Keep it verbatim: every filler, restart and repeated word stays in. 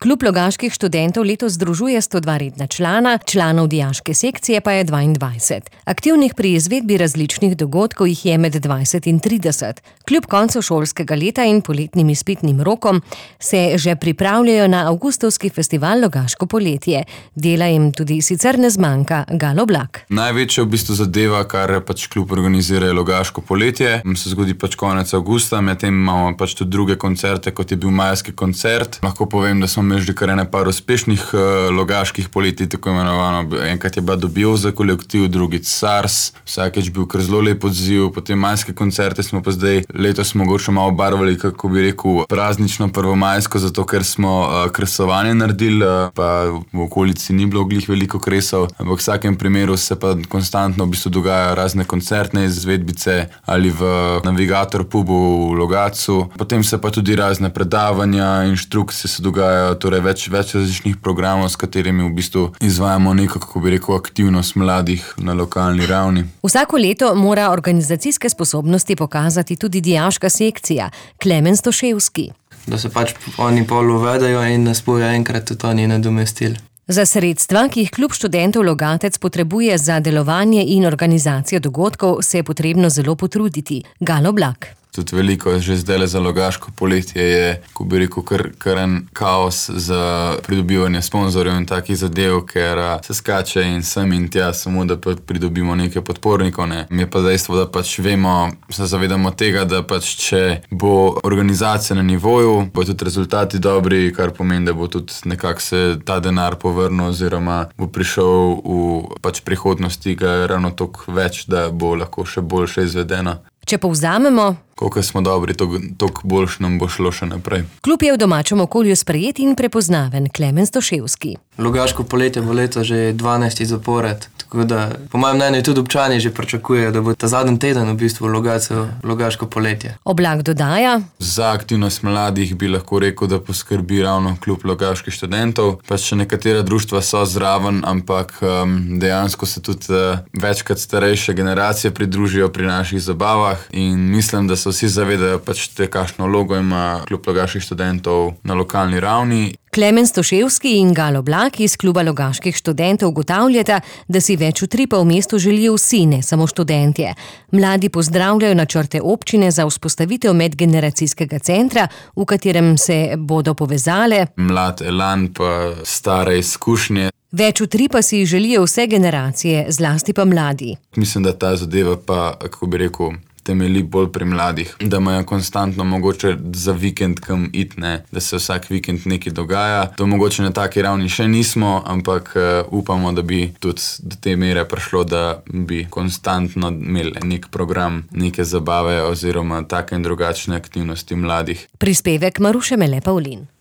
Klub logaških študentov letos združuje sto dva redna člana, članov dijaške sekcije pa je dvaindvajset. Aktivnih pri izvedbi različnih dogodkov jih je med dvajset in trideset. Kljub koncu šolskega leta in poletnim izpitnim rokom se že pripravljajo na avgustovski festival Logaško poletje. Dela jim tudi sicer ne zmanjka Galoblak. Največja v bistvu zadeva, kar pač klub organizira, je Logaško poletje. Se zgodi pač konec avgusta, medtem imamo pač tudi druge koncerte, kot je bil majski koncert. Lahko povem, da smo imeli že kar ene par uspešnih uh, logaških poletij, tako imenovano. Enkrat je bila Dobijo za kolektiv, drugič SARS, vsakeč bil kar zelo lep odziv. Potem majske koncerte smo pa zdaj letos mogoče malo barvali, kako bi rekel, praznično prvomajsko, zato ker smo uh, kresovanje naredili, uh, pa v okolici ni bilo glih veliko kresov, ampak v vsakem primeru se pa konstantno v bistvu dogajajo razne koncertne izvedbice ali v Navigator pubu v Logatcu. Potem se pa tudi razne predavanja, inštrukcije se dogajajo, torej več, več različnih programov, s katerimi v bistvu izvajamo neko, kako bi rekel, aktivnost mladih na lokalni ravni. Vsako leto mora organizacijske sposobnosti pokazati tudi dijaška sekcija. Klemen Stoševski. Da se pač oni pol uvedajo in nas bojo enkrat tudi oni nadomestili. Za sredstva, ki jih Klub študentov Logatec potrebuje za delovanje in organizacijo dogodkov, se je potrebno zelo potruditi. Galoblak. Tudi veliko že zdaj za Logaško poletje je, ko bi rekel, kar, kar en kaos za pridobivanje sponzorjev in takih zadev, ker se skače in sem in tja, samo da pa pridobimo nekaj podpornikov. Ne. Je pa dejstvo, da pač vemo, se zavedamo tega, da pač če bo organizacija na nivoju, bo tudi rezultati dobri, kar pomeni, da bo tudi nekako se ta denar povrnil oziroma bo prišel v pač prihodnosti ga ravno toliko več, da bo lahko še boljše izvedeno. Če povzamemo, koliko smo dobri, toliko boljš nam bo šlo še naprej. Klub je v domačem okolju sprejet in prepoznaven. Klemen Stoševski. Logaško poletje bo leto že dvanajsti zapored, tako da po mojem mnenju tudi občani že pričakujejo, da bo ta zadnji teden v bistvu v Logatcu Logaško poletje. Oblak dodaja: Za aktivnost mladih bi lahko rekel, da poskrbi ravno Klub logaških študentov. Pač še nekatera društva so zraven, ampak um, dejansko se tudi uh, večkrat starejše generacije pridružijo pri naših zabavah in mislim, da se vsi zavedajo pač te, kakšno vlogo ima Klub logaških študentov na lokalni ravni. Klemen Stoševski in Galoblak iz Kluba logaških študentov ugotavljata, da si več utripa v mestu želijo vsi, ne samo študentje. Mladi pozdravljajo načrte občine za vzpostavitev medgeneracijskega centra, v katerem se bodo povezale mlad elan pa stare izkušnje. Več utripa si želijo vse generacije, zlasti pa mladi. Mislim, da ta zadeva pa, kako bi rekel, temelji bolj pri mladih, da imajo konstantno mogoče za vikend kam iti, ne, da se vsak vikend nekaj dogaja. To mogoče na taki ravni še nismo, ampak uh, upamo, da bi tudi do te mere prišlo, da bi konstantno imeli nek program, neke zabave oziroma take in drugačne aktivnosti mladih. Prispevek Maruše Mele Pavlin.